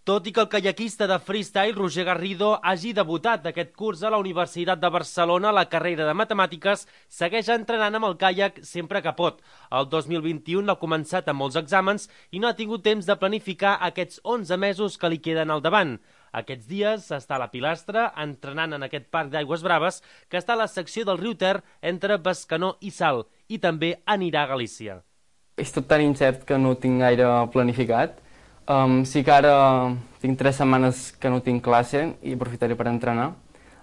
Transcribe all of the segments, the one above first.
Tot i que el caiaquista de freestyle Roger Garrido hagi debutat aquest curs a la Universitat de Barcelona a la carrera de Matemàtiques, segueix entrenant amb el caiac sempre que pot. El 2021 l'ha començat amb molts exàmens i no ha tingut temps de planificar aquests 11 mesos que li queden al davant. Aquests dies està a la Pilastra entrenant en aquest parc d'aigües braves que està a la secció del riu Ter entre Bescanó i Salt, i també anirà a Galícia. És tot tan incert que no tinc gaire planificat. Sí que ara tinc 3 setmanes que no tinc classe i aprofitaré per entrenar.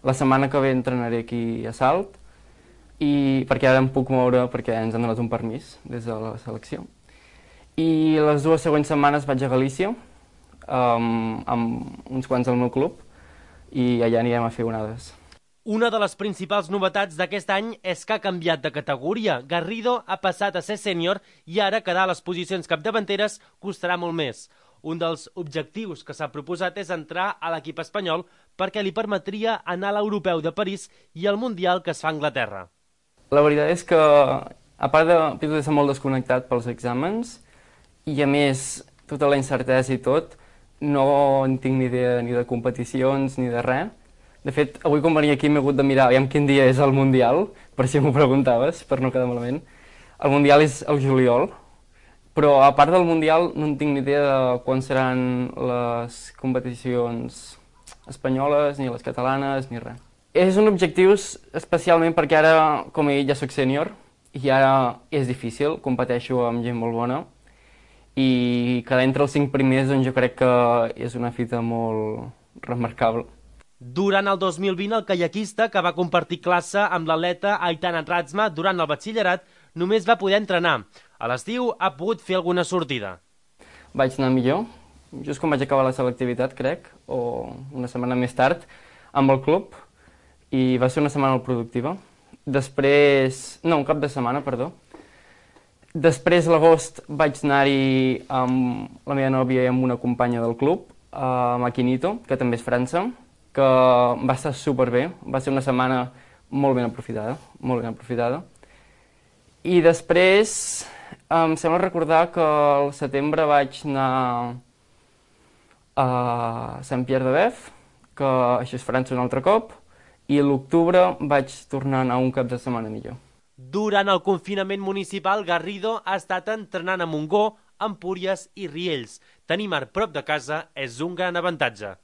La setmana que ve entrenaré aquí a Salt, perquè ara em puc moure perquè ens han donat un permís des de la selecció. I les 2 següents setmanes vaig a Galícia amb uns quants del meu club i allà anirem a fer onades. Una de les principals novetats d'aquest any és que ha canviat de categoria. Garrido ha passat a ser sènior i ara quedar a les posicions capdavanteres costarà molt més. Un dels objectius que s'ha proposat és entrar a l'equip espanyol perquè li permetria anar a l'Europeu de París i al Mundial que es fa a Anglaterra. La veritat és que, a part de ser molt desconnectat pels exàmens, i a més tota la incertesa i tot, no en tinc ni idea ni de competicions ni de res. De fet, avui quan venia aquí m'he hagut de mirar aviam quin dia és el Mundial, per si m'ho preguntaves, per no quedar malament. El Mundial és el juliol, però a part del Mundial no en tinc ni idea de quan seran les competicions espanyoles, ni les catalanes, ni res. És un objectiu especialment perquè ara, com he dit, ja soc sènior i ara és difícil, competeixo amb gent molt bona i quedar entre els 5 primers doncs jo crec que és una fita molt remarcable. Durant el 2020, el caiaquista, que va compartir classe amb l'atleta Aitana Ratzma durant el batxillerat, només va poder entrenar. A l'estiu ha pogut fer alguna sortida. Vaig anar millor, just quan vaig acabar la selectivitat, crec, o una setmana més tard, amb el club, i va ser una setmana molt productiva. Després... no, un cap de setmana, perdó. Després, a l'agost, vaig anar-hi amb la meva nòvia i amb una companya del club, a Maquinito, que també és França, que va estar superbé, va ser una setmana molt ben aprofitada, molt ben aprofitada. I després, em sembla recordar que al setembre vaig anar a Saint-Pierre de Bèf, que això és França un altre cop, i a l'octubre vaig tornar a anar un cap de setmana millor. Durant el confinament municipal, Garrido ha estat entrenant a Montgó, Empúries i Riells. Tenir mar prop de casa és un gran avantatge.